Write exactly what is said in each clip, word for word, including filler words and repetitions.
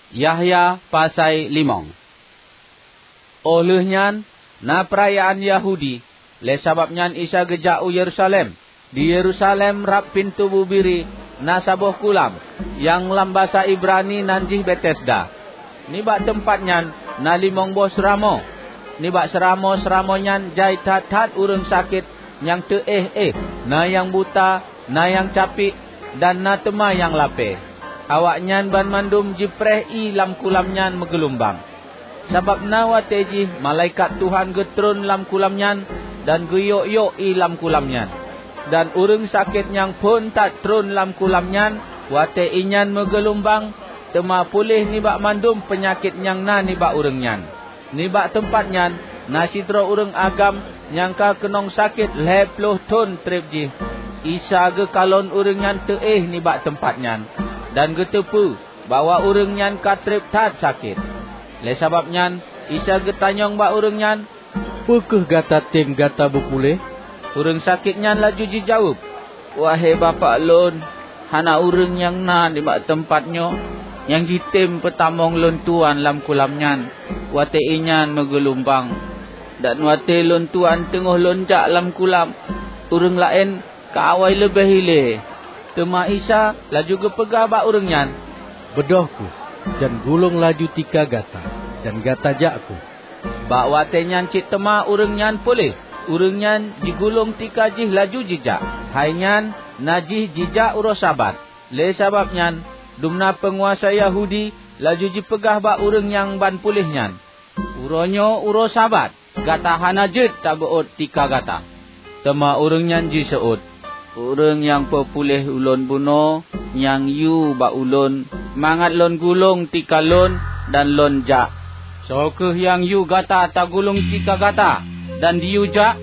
Yahya pasai limong. Óh lheueh nyan, na peurayaan Yahudi, lé sabab nyan Isa geujak u Yerusalem. Di Yerusalem, rab Pintoe Bubiri, na saboh kulam, nyang lam basa Ibrani nan jih Betesda. Nibak teumpat nyan na limong boh seuramoe. Nibak seuramoe-seuramoe nyan jai that-that ureuëng sakét nyang teuéh-éh, na nyang buta, na nyang capiek, dan na teuma nyang lapée. Awaknyan banmandum jipreh ié lam kulam nyan meugeulumbang. Sabab na watée jih malaikat Tuhan geutreun lam kulam nyan dan geuyok-yok ié lam kulam nyan. Dan ureuëng sakét nyang phon that treun lam kulam nyan watée ié nyan meugeulumbang, teuma puléh nibak mandum peunyakét nyang na nibak ureuëng nyan. Nibak teumpat nyan na sidroe ureuëng agam nyang ka keunong sakét lhée ploh thon treb jih. Isa geukalon ureuëng nyan teuéh nibak teumpat nyan, dan geuteupeue bahwa ureuëng nyan ka treb that sakét. Lé sabab nyan, Isa geutanyong bak ureuëng nyan, "Peu kheueh gata tem gata beupuléh?" Ureuëng sakét nyan laju jijaweueb, "Wahé Bapak lôn, hana ureuëng nyang na nibak teumpat nyoe nyang jitem peutamong lôn tuan lam kulam nyan watée ié nyan meugeulumbang. Dan watée lôn tuan teungoh lôn jak lam kulam, ureuëng laén ka awai leubeh ilée." Teuma Isa laju geupeugah bak ureuëng nyan, "Beudôh kheueh, dan gulong laju tika gata, dan gata jak kheueh." Bak watée nyan cit teuma ureuëng nyan puléh. Ureuëng nyan jigulong tika jih laju jijak. Hai nyan na jih jijak uroe Sabat. Lé sabab nyan, dumna peunguasa Yahudi laju jipeugah bak ureuëng nyang ban puléh nyan, "Uroe nyoe uroe Sabat, gata hana jeuet tabeuôt tika gata." Teuma ureuëng nyan jiseuôt, "Ureuëng nyang peupuléh ulôn bunoe nyang yue bak ulôn mangat lôn gulong tika lôn dan lôn jak." "Soe kheueh nyang yue gata tagulong tika gata dan diyue jak?"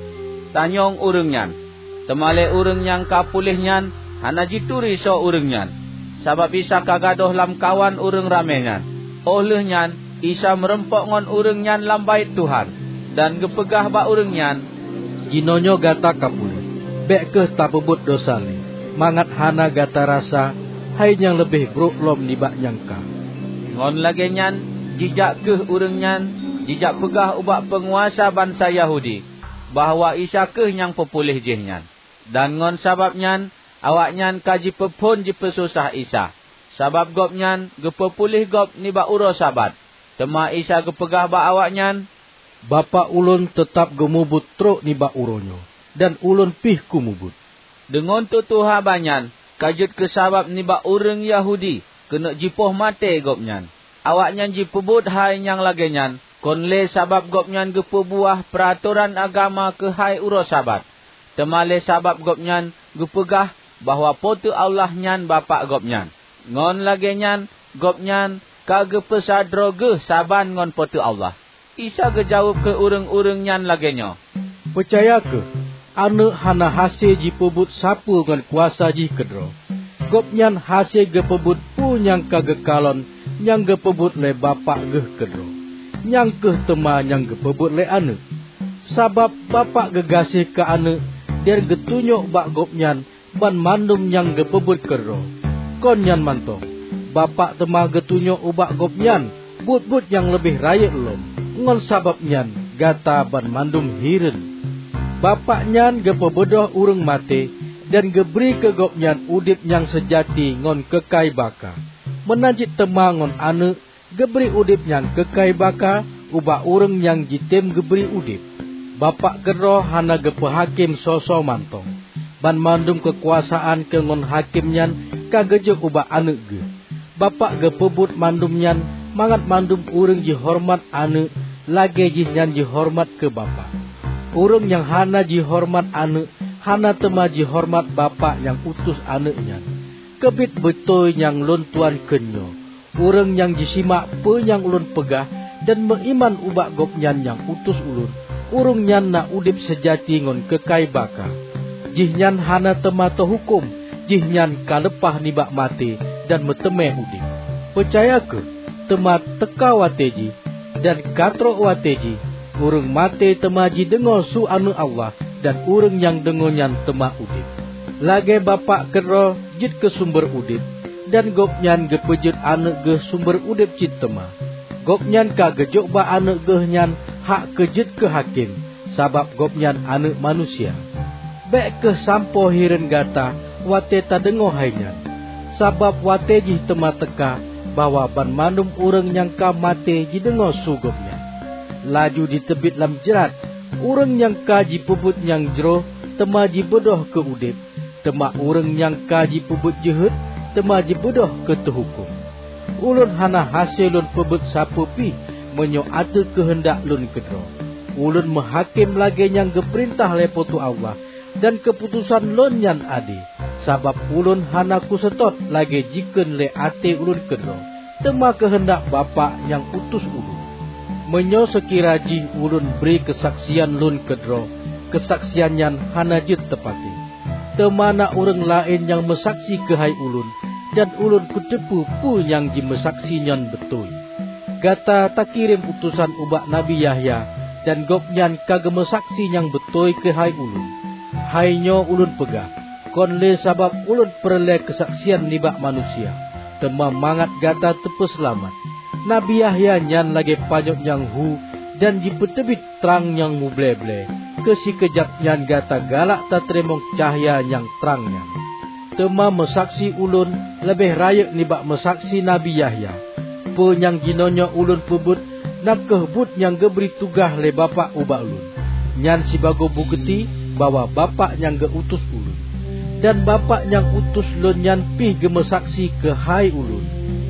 tanyong ureuëng nyan. Teuma lé ureuëng nyang ka puléh nyan hana jituri soe ureuëng nyan, sabab Isa ka gadôh lamkawan ureuëng ramé nyan. Óh lheueh nyan Isa meurumpok ngon ureuëng nyan lam Baét Tuhan, dan geupeugah bak ureuëng nyan, "Jinoenyoe gata ka puléh, bék kheueh tapeubuet desya lé, mangat hana gata rasa hai nyang leubeh brok lom nibak nyang ka." Ngon lagée nyan jijak kheueh ureuëng nyan jijak peugah ubak peunguasa bansa Yahudi bahwa Isa kheueh nyang peupuléh jih nyan. Dan ngon sabab nyan awaknyan ka jipeuphon jipeususah Isa, sabab Gobnyan geupeupuléh gob nibak uroe Sabat. Teuma Isa geupeugah bak awaknyan, "Bapak ulôn teutab geumubuet trok nibak uroe nyoe, dan ulôn pih kumubuet." Deungon tutoe haba nyan ka jeuet keu sabab nibak ureuëng Yahudi keuneuk jipoh maté Gobnyan. Awaknyan jipeubuet hai nyang lagée nyan kon lé sabab Gobnyan geupeubuah peuratoran agama keuhai uroe Sabat, teuma lé sabab Gobnyan geupeugah bahwa Po teu Allah nyan Bapak Gobnyan. Ngon lagée nyan Gobnyan ka geupeusadroe geuh saban ngon Po teu Allah. Isa geujaweueb keu ureuëng-ureuëng nyan lagée nyoe, "Peucaya kheueh, Aneuëk hana hase jipeubuet sapeue ngon kuasa jih keudroe. Gobnyan hase geupeubuet peue nyang ka geukalon nyang geupeubuet lé Bapak geuh keudroe. Nyang kheueh teuma nyang geupeubuet lé Aneuëk. Sabab Bapak geugaséh keu Aneuëk dan geutunyok bak Gobnyan banmandum nyang geupeubuet keudroe. Kon nyan mantong, Bapak teuma geutunyok ubak Gobnyan buet-buet nyang leubeh rayeuk lom. Ngon sabab nyan gata banmandum hireuen. Bapak nyan geupeubeudôh ureuëng maté dan geubri keu Gobnyan udeb nyang seujati ngon keukai baka. Meunan cit teuma ngon Aneuëk geubri udeb nyang keukai baka ubak ureuëng nyang jitem geubri udeb. Bapak keudroe hana geupeuhakém soe-soe mantong. Banmandum keukuasaan keu ngon hakém nyan ka geujok ubak Aneuëk geuh. Bapak geupeubuet mandum nyan mangat mandum ureuëng jihoreumat Aneuëk lagée jihnyan jihoreumat keu Bapak. Ureuëng nyang hana jihoreumat Aneuëk hana teuma jihoreumat Bapak nyang utus Aneuëk nyan. Keubiet beutôi nyang lôn tuan kheun nyoe, ureuëng nyang jisimak peue nyang ulôn peugah dan meuiman ubak Gobnyan nyang utus ulôn, ureuëng nyan na udeb seujati ngon keukai baka. Jihnyan hana teuma teuhuköm, jihnyan ka leupah nibak maté dan meuteumé udeb. Peucaya kheueh, teuma teuka watée jih, dan ka trok watée jih, ureuëng maté teuma jideungoe su Aneuëk Allah, dan ureuëng nyang deungoe nyan teuma udeb. Lagée Bapak keudroe jeuet keu sumber udeb, Dan Gobnyan geupeujeuet Aneuëk Geuh sumber udeb cit teuma. Gobnyan ka geujok bak Aneuëk Geuh nyan hak keu jeuet keu hakém, sabab Gobnyan Aneuëk Manusia. Bék kheueh sampoe hireuen gata watée tadeungoe hai nyan, sabab watée jih teuma teuka bahwa banmandum ureuëng nyang ka maté jideungoe su Gobnyan. Laju jiteubiet lam jrat, ureuëng nyang ka jipeubuet nyang jroh teuma jibeudôh keu udeb, teuma ureuëng nyang ka jipeubuet jeuhet teuma jibeudôh keu teuhuköm. Ulôn hana hase lôn peubuet sapeue pih meunyoe ateueh keuheundak lôn keudroe. Ulôn meuhakém lagée nyang geupeurintah lé Po teu Allah, dan keuputosan lôn nyan ade, sabab ulôn hana kuseutôt lagée jikheun lé até ulôn keudroe, teuma keuheundak Bapak nyang utus ulôn. Meunyoe seukira jih ulôn bri keusaksian lôn keudroe, keusaksian nyan hana jeuet teupatéh. Teuma na ureuëng laén nyang meusaksi keuhai ulôn, dan ulôn kuteupeue peue nyang jimeusaksi nyan beutôi. Gata takirém utosan ubak Nabi Yahya, dan gobnyan ka geumeusaksi nyang beutôi keuhai ulôn. Hai nyoe ulôn peugah, kon lé sabab ulôn peureulée keusaksian nibak manusia, teuma mangat gata teupeuseulamat. Nabi Yahya nyan lagée panyöt nyang hu dan jipeuteubiet trang nyang muble-ble, keu sikeujab nyan gata galak tateurimong cahya nyang trang nyan. Teuma meusaksi ulôn leubeh rayeuk nibak meusaksi Nabi Yahya. Peue nyang jinoenyoe ulôn peubuet, na kheueh buet nyang geubri tugaih lé Bapak ubak ulôn. Nyan sibagoe bukeuti bahwa Bapak nyang geu-utus ulôn. Dan Bapak nyang utus lôn nyan pih geumeusaksi keuhai ulôn.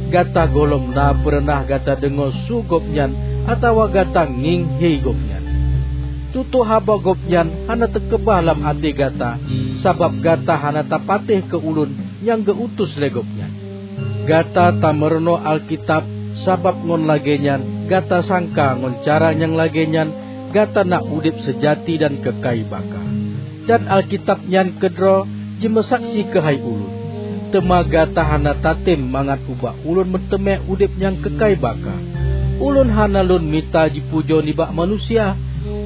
Gata gohlom na peureunah gata deungoe su gobnyan atawa gata ngieng hé gobnyan. Tutoe haba gobnyan hana teukeubah lam até gata, sabab gata hana tapatéh keu ulôn nyang geu-utus lé gobnyan. Gata tameurunoe Alkitab, sabab ngon lagée nyan gata sangka ngon cara nyang lagée nyan gata na udeb seujati dan keukai baka. Dan Alkitab nyan keudroe jimeusaksi keuhai ulôn. Teuma gata hana tatem mangat ubak ulôn meuteumé udeb nyang keukai baka. Ulôn hana lôn mita jipujoe nibak manusia.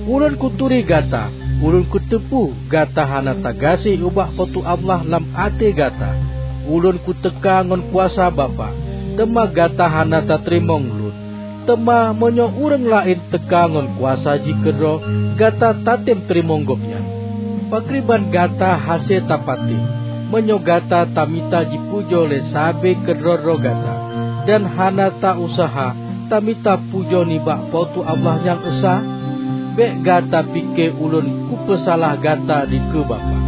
Ulôn kuturi gata, ulôn kuteupeue gata hana tagaséh ubak Po teu Allah lam até gata. Ulôn kuteuka ngon kuasa Bapak, teuma gata hana tateurimong lôn. Teuma meunyoe ureuëng laén teuka ngon kuasa jih keudroe, gata tatem teurimong gobnyan. Pakriban gata hase tapatéh, meunyoe gata tamita jipujoe lé sabe keudroe-droe gata, dan hana ta-useuha tamita pujoe nibak Po teu Allah nyang esa? Bék gata pike ulôn kupeusalah gata dikeue Bapak.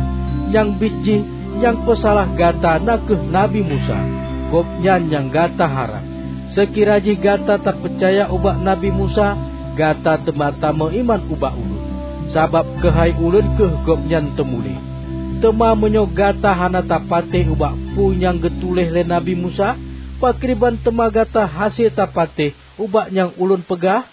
Nyang biet jih nyang peusalah gata na kheueh Nabi Musa, gobnyan nyang gata harab. Seukira jih gata tapeucaya ubak Nabi Musa, gata teuma tameuiman ubak ulôn, sabab keuhai ulôn kheueh gobnyan teumuléh. Teuma meunyoe gata hana tapatéh ubak peue nyang geutuléh lé Nabi Musa, pakriban teuma gata hase tapatéh ubak nyang ulôn peugah?